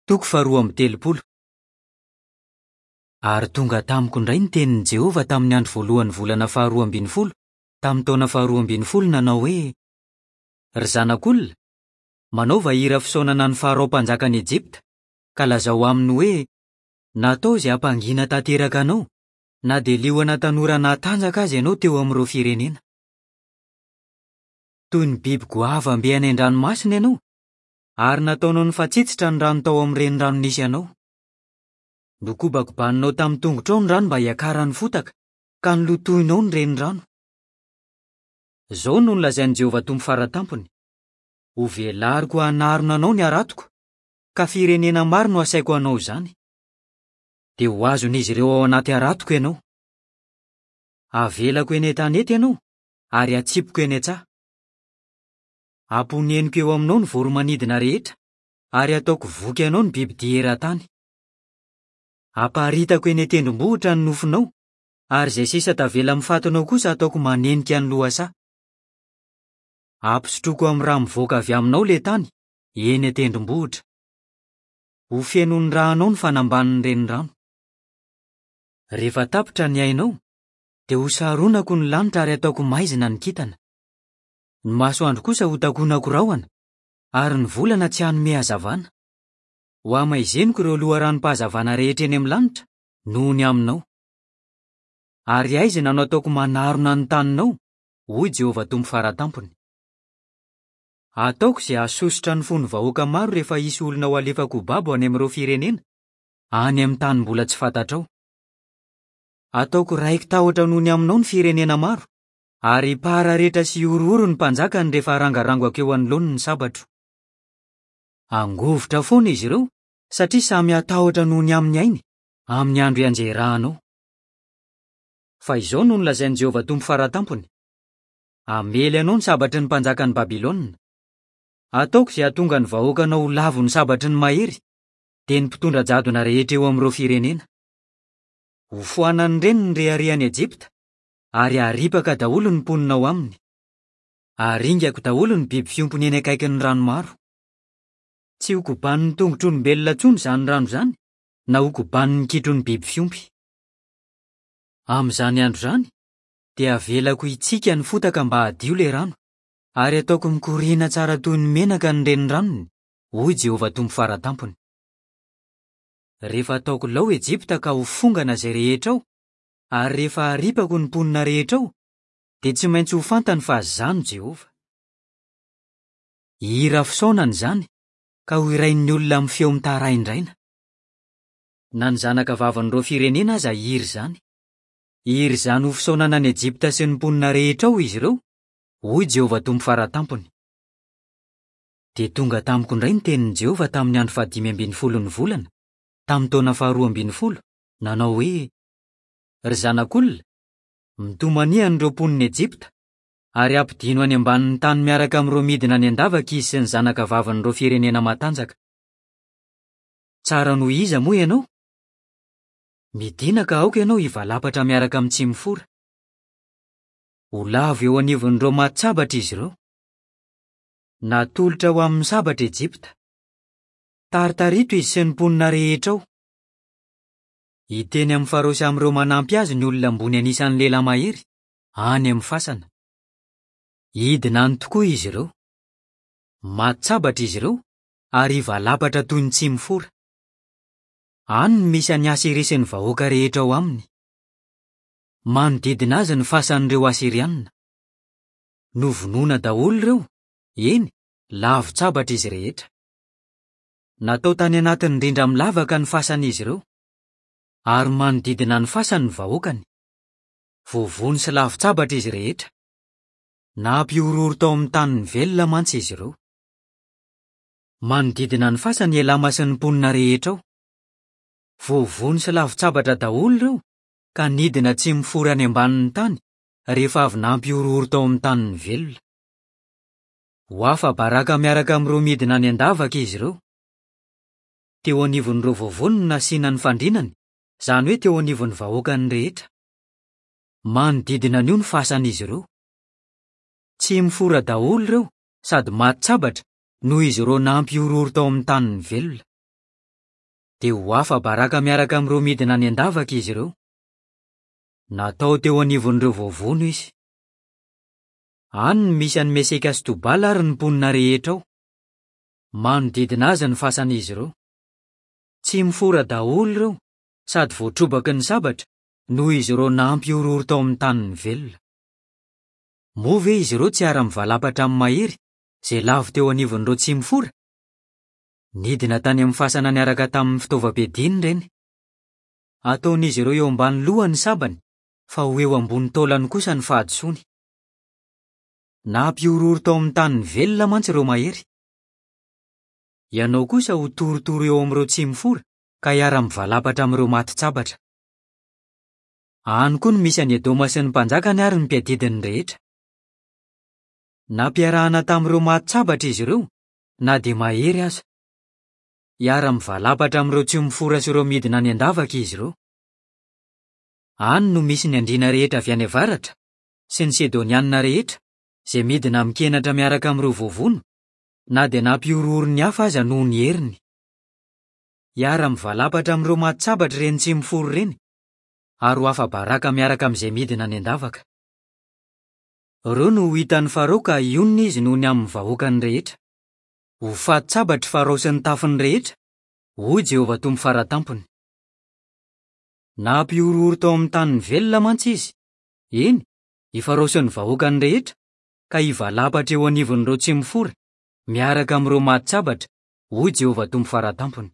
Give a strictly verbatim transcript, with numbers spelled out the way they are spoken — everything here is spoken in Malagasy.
Toko faharoa amby telopolo. Ary tonga tamiko indray ny tenin'i Jehovah tamin'ny andro voalohan'ny volana faharoa ambin'ny folo, tamin'ny taona faharoa ambin'ny folo nanao hoe: Ry zanak'olona, manaova hira fisaonana ny Farao mpanjakan'i Ejipta, ka lazao aminy hoe: Natao izay hampangina tanteraka anao, na dia liona tanora natanjaka aza ianao teo amin'ireo firenena. Toy ny biby goavam-be any an-dranomasina ianao, ary nataonao nifatsitsitra ny rano tao amin'ny renirano nisy anao. Nokobakobaninao tamin'ny tongotrao ny rano mba hiakaran'ny fotaka, ka nolotoinao ny renirano. Izao no nolazain'i Jehovah Tompo Fara Tampony: Hovelariko hanarona anao ny haratoko, ka firenena maro no hasaiko hanao izany. Dia ho azon'izy ireo ao anaty haratoko ianao. Havelako eny an-tanety ianao, ary hatsipiko eny an-tsaha. Hamponeniko eo aminao ny voro-manidina rehetra, ary hataoko voky anao ny bibidia eran-tany. Haparitako eny an-tendrombohitra ny nofonao, ary izay sisa tavela amin'ny fatinao kosa hataoko manenika ny lohasaha. Hampisotroiko amin'ny rà mivoaka avy aminao ilay tany, eny an-tendrombohitra. Ho fenon'ny rànao ny fanambanin'ny renirano. Rehefa tapitra ny ainao, dia hosaronako ny lanitra ary hataoko maizina ny kintana. Ny masoandro kosa hotakonako rahona, ary ny volana tsy hanome hazavana. Hohamaiziniko ireo loharanom-pahazavana rehetra eny amin'ny lanitra noho ny aminao. Ary haizina no hataoko manarona ny taninao, hoy Jehovah Tompo Fara Tampony. Hataoko izay hahasosotra ny fon'ny vahoaka maro rehefa hisy olona ho alefako ho babo any amin'ireo firenena, any amin'ny tany mbola tsy fantatrao. Hataoko raiki-tahotra noho ny aminao ny firenena maro, ary hipararetra sy hihorohoro ny mpanjakany rehefa harangarangako eo anoloany ny sabatro. Hangovitra foana izy ireo, satria samy hatahotra noho ny amin'ny ainy, amin'ny andro hianjerahanao. Fa izao no nolazain'i Jehovah Tompo Fara Tampony: Hamely anao ny sabatry ny mpanjakan'i Babylona. Hataoko izay hahatonga ny vahoakanao ho lavon'ny sabatry ny mahery, dia ny mpitondra jadona rehetra eo amin'ireo firenena. Hofoanan'ireny ny reharehan'i Ejipta, ary haripaka daholo ny mponina ao aminy. Haringako daholo ny biby fiompiny eny akaikin'ny rano maro. Tsy hokobanin'ny tongotr'olombelona intsony izany rano izany, na hokobanin'ny kitron'ny biby fiompy. Amin'izany andro izany, dia havelako hitsika ny fotaka mba hadio ilay rano, ary hataoko mikoriana tsara toy ny menaka ny reniranony, hoy Jehovah Tompo Fara Tampony. Rehefa hataoko lao Ejipta ka ho fongana izay rehetra ao, ary rehefa haripako ny mponina rehetra ao, dia tsy maintsy ho fantany fa izaho no Jehovah. Hira fisaonana izany, ka ho hirain'ny olona amin'ny feo mitaraindraina. Na ny zanaka vavin'ireo firenena aza hihira izany. Hihira izany ho fisaonana an'i Ejipta sy ny mponina rehetra ao izy ireo, hoy Jehovah Tompo Fara Tampony. Dia tonga tamiko indray ny tenin'i Jehovah tamin'ny andro fahadimy ambin'ny folon'ny volana, tamin'ny taona faharoa ambin'ny folo, nanao hoe: Ry zanak'olona, mitomania an'ireo mponin'i Ejipta, ary ampidino any ambanin'ny tany miaraka amin'ireo midina any an-davaka izy sy ny zanaka vavin'ireo firenena matanjaka. Tsara noho iza moa ianao? Midina ka aoka ianao hivalapatra miaraka amin'ny tsimifora. Ho lavo eo anivon'ireo maty sabatra izy ireo. Natolotra ho amin'ny sabatra Ejipta. Taritarito izy sy ny mponina rehetra ao. Hiteny amin'ny Farao sy amin'ireo manampy azy ny olona ambony anisan'ny lehilahy mahery, any amin'ny fasana. Hidina any tokoa izy ireo. Maty sabatra izy ireo, ary hivalapatra toy ny tsimifora. Any no misy an'i Asyria sy ny vahoaka rehetra ao aminy. Manodidina azy ny fasan'ireo Asyrianina. Novonoina daholo ireo, eny, lavon-tsabatra izy rehetra. Natao tany anatin'ny rindra milavaka ny fasan'izy ireo, ary manodidina ny fasany ny vahoakany. Voavono sy lavon-tsabatra izy rehetra. Nampihorohoro tao amin'ny tanin'ny velona mantsy izy ireo. Manodidina ny fasany Elama sy ny mponina rehetra ao. Voavono sy lavon-tsabatra daholo ireo, ka nidina tsy mifora any ambanin'ny tany rehefa avy nampihorohoro tao amin'ny tanin'ny velona. Ho afa-baraka miaraka amin'ireo midina any an-davaka izy ireo. Teo anivon'ireo voavono no nasiana ny fandrinany, izany hoe teo anivon'ny vahoakany rehetra. Manodidina an'io ny fasan'izy ireo. Tsy mifora daholo ireo sady maty sabatra noho izy ireo nampihorohoro tao amin'ny tanin'ny velona. Dia ho afa-baraka miaraka amin'ireo midina any an-davaka izy ireo. Natao teo anivon'ireo voavono izy. Any no misy an'i Meseka sy Tobala ary ny mponina rehetra ao. Manodidina azy ny fasan'izy ireo. Tsy mifora daholo ireo, sady voatrobaky ny sabatra, noho izy ireo nampihorohoro tao amin'ny tanin'ny velona. Moa ve izy ireo tsy hiara-mivalapatra amin'ny mahery, izay lavo teo anivon'ireo tsy mifora? Nidina tany amin'ny fasana niaraka tamin'ny fitaovam-piadiany ireny. Ataon'izy ireo eo ambany lohany ny sabany, fa ho eo ambony taolany kosa ny fahadisoany. Nampihorohoro tao amin'ny tanin'ny velona mantsy ireo mahery. Ianao kosa ho torotoro eo amin'ireo tsy mifora ka hiara-mivalapatra amin'ireo matin-tsabatra. Any koa no misy an'i Edoma sy ny mpanjakany ary ny mpiadidiny rehetra. Nampiarahana tamin'ireo matin-tsabatra izy ireo, na dia mahery aza. Hiara-mivalapatra amin'ireo tsy mifora sy ireo midina any an-davaka izy ireo. Any no misy ny andriana rehetra avy any avaratra sy ny Sidonianina rehetra, izay midina amin-kenatra miaraka amin'ireo voavono, na dia nampihorohoro ny hafa aza noho ny heriny. Hiara-mivalapatra amin'ireo matin-tsabatra ireny tsy mifora ireny, ary ho afa-baraka miaraka amin'izay midina any an-davaka. Ireo no ho hitan'ny Farao ka hionona izy noho ny amin'ny vahoakany rehetra. Ho fatin-tsabatra Farao sy ny tafiny rehetra, hoy Jehovah Tompo Faratampony. Nampihorohoro tao amin'ny tanin'ny velona mantsy izy, eny, i Farao sy ny vahoakany rehetra, ka hivalapatra eo anivon'ireo tsy mifora, miaraka amin'ireo matin-tsabatra, hoy Jehovah Tompo Faratampony.